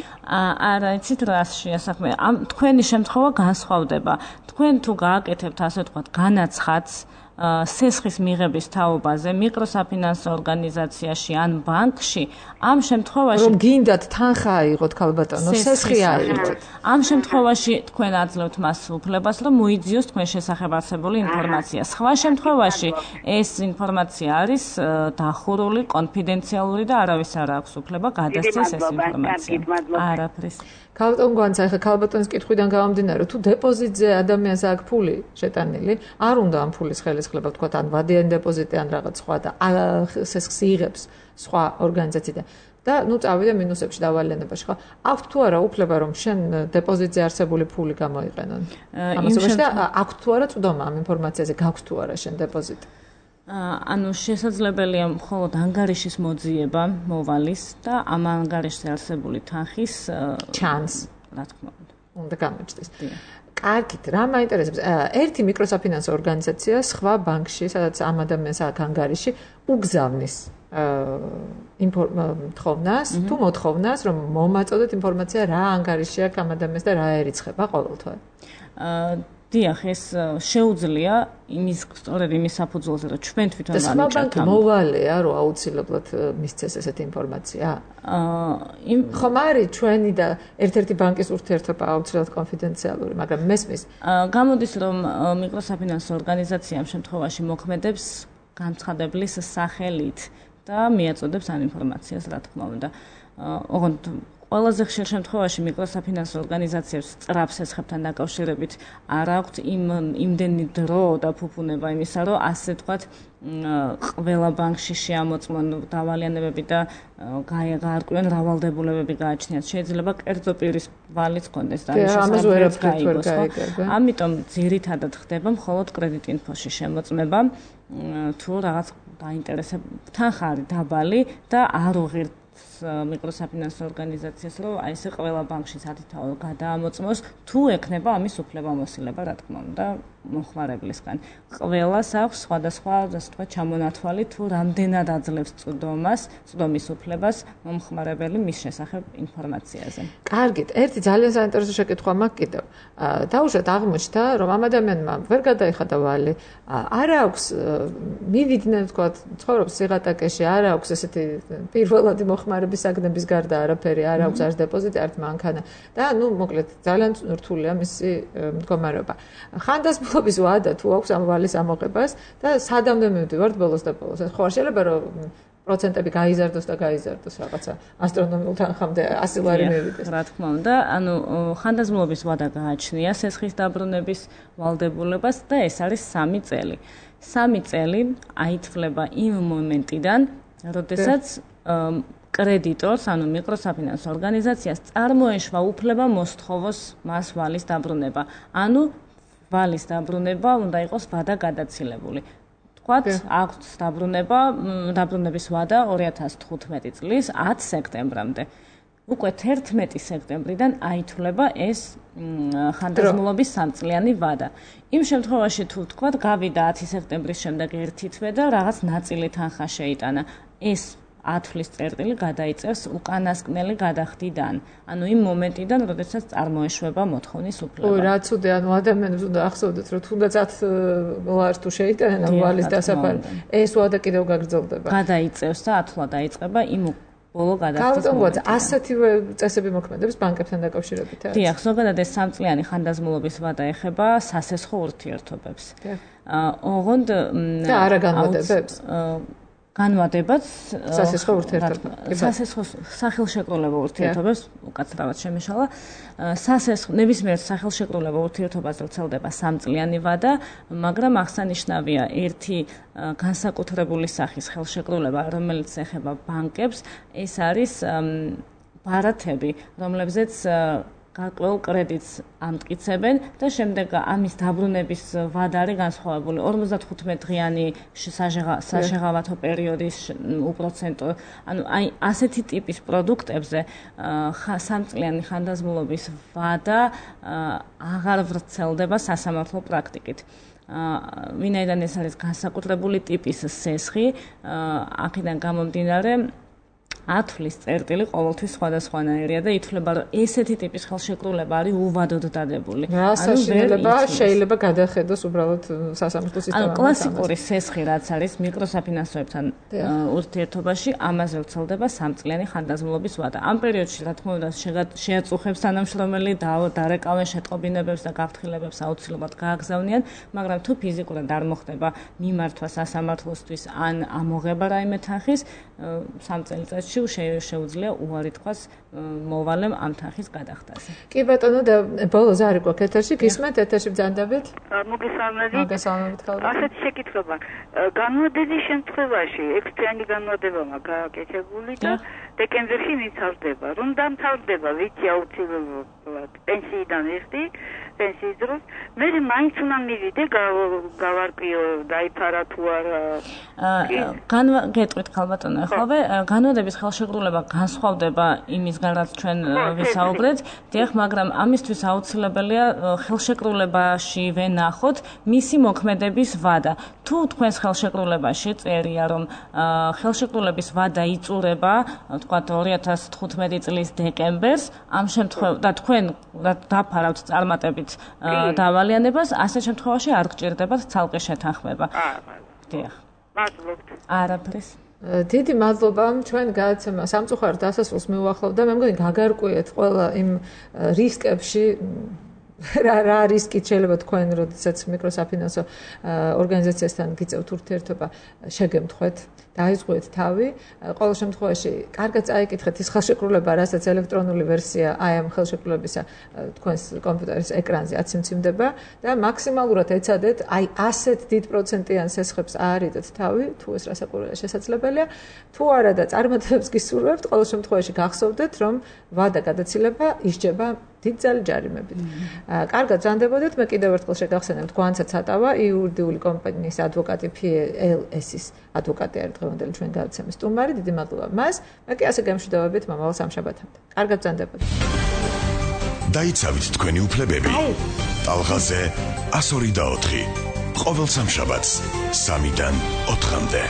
არა, იცით რა შეასახმე. ამ თქვენი შემთხვევა განსხვავდება. თქვენ თუ გააკეთებთ ასე ვთქვათ განაცხადს სესხის მიღების თაობაზე მიკროსაფინანსო ორგანიზაციაში ან ბანკში, ამ შემთხვევაში რომ გინდათ თანხა აიღოთ ქალბატონო, სესხი აიღოთ. ამ შემთხვევაში თქვენ აძლევთ მას უფლებას, რომ მოიძიოს თქვენ შესახებ არსებული ინფორმაცია. სხვა შემთხვევაში ეს ინფორმაცია არის დახურული, კონფიდენციალური და არავის არ აქვს უფლება გადასცეს ეს ინფორმაცია. არაფრის. ქალბატონ გვანცა, ახლა ქალბატონის კითხვიდან გამომდინარე, თუ დეპოზიტზე ადამიანს აქვს ფული შეტანილი, არ უნდა ამ ფულის ხელისხლება, თქვა ან ვადიანი დეპოზიტი ან რაღაც სხვა და სესხს იღებს სხვა ორგანიზაციიდან. და ნუ წავიდა მინუსებში დავალიანებაში, ხო? აქვს თუ არა უფლება, რომ შენ დეპოზიტზე არსებული ფული გამოიყენონ? ამასობაში და აქვს თუ არა წვდომა ამ ინფორმაციაზე, გაქვს თუ არა შენ დეპოზიტი? ანუ შესაძლებელია მხოლოდ ანგარიშის მოძიება მოვალის და ამ ანგარიშზე არსებული თანხის ჩანს, რა თქმა უნდა. უნდა გამოჩნდეს. კარგით, რა მაინტერესებს? ერთი მიკროსაფინანსო ორგანიზაცია სხვა ბანკში, სადაც ამ ადამიანს აქვს ანგარიში, უგზავნის თხოვნას, თუ მოთხოვნას, რომ მომაწოდოთ ინფორმაცია რა ანგარიში აქვს ამ ადამიანს და რა ერიცხება ყოველთვე. დიახ, ეს შეუძლია იმის სწორედ იმის საფუძველზე, რომ ჩვენ თვითონ ვანიჭოთ. და სხვა ბანკი მოვალეა, რომ აუცილებლად მისცეს ესეთი ინფორმაცია? იმ ხომ არის ჩვენი და ერთ-ერთი ბანკის ურთიერთობა აუცილებლად კონფიდენციალური, მაგრამ მესმის. გამოდის, რომ მიკროსაფინანსო ორგანიზაცია ამ შემთხვევაში მოქმედებს განცხადებლის სახელით და მიაწოდებს ამ ინფორმაციას, რა თქმა უნდა. ოღონდ ყველაზე ხშირ შემთხვევაში მიკროსაფინანსო ორგანიზაციებს სწრაფ სესხებთან დაკავშირებით არ აქვთ იმ იმდენი დრო და ფუფუნება იმისა, რომ ასე ვთქვათ, ყველა ბანკში შეამოწმონ დავალიანებები და გაარკვიონ რავალდებულებები გააჩნიათ. შეიძლება კერძო პირის ვალიც კონდეს და ამას ვერაფერს გაიგოს. ამიტომ ძირითადად ხდება მხოლოდ კრედიტ ინფოში შემოწმება, თუ რაღაც დაინტერესება თანხა არის დაბალი და არ უღირთ მიკროსაფინანსო ორგანიზაციას, რომ აი ესე ყველა ბანკში სათითაო გადაამოწმოს, თუ ექნება ამის უფლებამოსილება, რა თქმა უნდა, მომხმარებლისგან. ყველას აქვს სხვადასხვა, ასე ვთქვათ, ჩამონათვალი თუ რამდენად აძლევს წვდომას, წვდომის უფლებას მომხმარებელი მის შესახებ ინფორმაციაზე. კარგით, ერთი ძალიან საინტერესო შეკითხვა მაქვს კიდევ. დაუშვათ აღმოჩნდა, რომ ამ ადამიანმა ვერ გადაიხადა ვალი, არ აქვს მივიდნენ, ვთქვათ, ცხოვრობს სიღატაკეში, არ აქვს ესეთი პირველადი მოხმარების საგნების გარდა არაფერი, არ აქვს არც დეპოზიტი, არც მანქანა და ნუ მოკლედ ძალიან რთულია მისი მდგომარეობა. ხანდაზმულობის ვადა თუ აქვს ამ ვალის ამოღებას და სადამდე მივდივართ ბოლოს და ბოლოს. ხო არ შეიძლება რომ პროცენტები გაიზარდოს და გაიზარდოს რაღაცა ასტრონომიულ თანხამდე ასი ლარი მივიდეს. რა თქმა უნდა, ანუ ხანდაზმულობის ვადა გააჩნია სესხის დაბრუნების ვალდებულებას და ეს არის სამი წელი. სამი წელი აითვლება იმ მომენტიდან, როდესაც კრედიტორს, ანუ მიკროსაფინანსო ორგანიზაციას წარმოეშვა უფლება მოსთხოვოს მას ვალის დაბრუნება. ანუ ვალის დაბრუნება უნდა იყოს ვადა გადაცილებული. თქვათ, აქვს დაბრუნება, დაბრუნების ვადა ორი ათას თხუთმეტი წლის ათი სექტემბრამდე. უკვე თერთმეტი სექტემბრიდან აითვლება ეს ხანდაზმულობის სამწლიანი ვადა. იმ შემთხვევაში თუ თქვათ, გავიდა ათი სექტემბრის შემდეგ ერთი თვე და რაღაც ნაწილი თანხა შეიტანა, ეს ათვლის წერტილი გადაიწევს უკანასკნელი გადახდიდან. ანუ იმ მომენტიდან, როდესაც წარმოეშვება მოთხოვნის უფლება. ой, რა ცუდი, ანუ ადამიანებს უნდა ახსოვდეთ, რომ თუნდაც ათი ლარს თუ შეიტანენ ვალის დასაფარი, ეს ვადა კიდევ გაგრძელდება. გადაიწევს და ათვლა დაიწყება იმ ბოლო გადახდის მომენტიდან. ასეთივე წესები მოქმედებს ბანკებთან დაკავშირებით. დიახ, ზოგადად ეს სამწლიანი ხანდაზმულობის ვადა ეხება სასესხო ურთიერთობებს. ოღონდ და არა განმარტებებს. განმარტებაც სასესხო ურთიერთობებს. სასესხო სახელშეკრულებო ურთიერთობებს უკაცრავად შემეშალა. სასესხო ნებისმიერ სახელშეკრულებო ურთიერთობაზე ვრცელდება სამწლიანი ვადა, მაგრამ აღსანიშნავია ერთი განსაკუთრებული სახის ხელშეკრულება, რომელიც ეხება ბანკებს, ეს არის ბარათები, რომლებზეც გარკვეულ კრედიტს ამტკიცებენ და შემდეგ ამის დაბრუნების ვადა არის განსხვავებული ორმოცდათხუთმეტი დღიანი საშეღავათო პერიოდის უპროცენტო. ანუ აი ასეთი ტიპის პროდუქტებზე სამწლიანი ხანდაზმულობის ვადა აღარ ვრცელდება სასამართლო პრაქტიკით. ვინაიდან ეს არის განსაკუთრებული ტიპის სესხი, აქედან გამომდინარე ათვლის წერტილი ყოველთვის სხვადასხვანაირია და ითვლება, რომ ესეთი ტიპის ხელშეკრულება არის უვადოდ დადებული. რა საშინელება შეიძლება გადახედოს უბრალოდ სასამართლო სისტემაში. ანუ კლასიკური სესხი რაც არის მიკროსაფინანსოებთან ურთიერთობაში, ამაზე ვრცელდება სამწლიანი ხანდაზმულობის ვადა. ამ პერიოდში, რა თქმა უნდა, შეაწუხებს თანამშრომელი დარეკავენ შეტყობინებებს და გაფრთხილებებს აუცილებლად გააგზავნიან, მაგრამ თუ ფიზიკურად არ მოხდება მიმართვა სასამართლოსთვის ან ამოღება რაიმე თანხის, სამ წელიწადში შეუძლია უარი თქვას მოვალემ ამ თანხის გადახდაზე. კი ბატონო და ბოლოს არის გვაქვს ეთერში, გისმენთ ეთერში ბრძანდებით? მოგესალმებით. მოგესალმებით ქალბატონო. ასეთი შეკითხვა. განმარტების შემთხვევაში ექვს თვიანი განმარტება გააკეთებული და დეკემბერში მიცავდება. რომ დამთავრდება ვიცი აუცილებლად პენსიიდან ერთი პენსიის დროს, მე მაინც უნდა მივიდე გავარკვიო დაიფარა თუ არა. გეტყვით ქალბატონო, ახლავე განმარტების ხელშეკრულება განსხვავდება იმისგან, რაც ჩვენ ვისაუბრეთ, დიახ, მაგრამ ამისთვის აუცილებელია ხელშეკრულებაში ვენახოთ მისი მოქმედების ვადა. თუ თქვენს ხელშეკრულებაში წერია, რომ ხელშეკრულების ვადა იწურება, თქვათ ორი ათას თხუთმეტი წლის დეკემბერს, ამ შემთხვევაში და თქვენ დაფარავთ წარმატებით დავალიანებას, ასეთ შემთხვევაში არ გჭირდებათ ცალკე შეთანხმება. დიახ. მადლობთ. არაფრის. დიდი მადლობა ჩვენ გადაცემა სამწუხაროდ დასასრულს მივუახლოვდა. მე მგონი გაგარკვიეთ ყველა იმ რისკებში რა რა რისკით შეიძლება თქვენ, როდესაც მიკროსაფინანსო ორგანიზაციასთან გიწევთ ურთიერთობა, შეგემთხვეთ, დაიზღვიეთ თავი. ყოველ შემთხვევაში, კარგად წაიკითხეთ ის ხელშეკრულება, რასაც ელექტრონული ვერსია აი ამ ხელშეკრულებისა თქვენს კომპიუტერის ეკრანზე აციმციმდება და მაქსიმალურად ეცადეთ აი ასეთ დიდ პროცენტიან სესხებს აარიდეთ თავი, თუ ეს რასაკვირველია შესაძლებელია. თუ არა და წარმატებებს გისურვებთ, ყოველ შემთხვევაში გახსოვდეთ, რომ ვადა გადაცილება ისჯება დიდძალი ჯარიმებით. კარგად ბრძანდებოდეთ, მე კიდევ ერთხელ შეგახსენებთ, გვანცა ცატავა, იურიდიული კომპანიის ადვოკატი ფი ელ ეს-ის ადვოკატი არის დღევანდელი ჩვენ გადაცემის სტუმარი. დიდი მადლობა მას. მე კი ასე გემშვიდობებით მომავალ სამშაბათამდე. კარგად ბრძანდებოდეთ. დაიცავით თქვენი უფლებები. ტალღაზე one oh four. ყოველ სამშაბათს სამიდან ოთხამდე.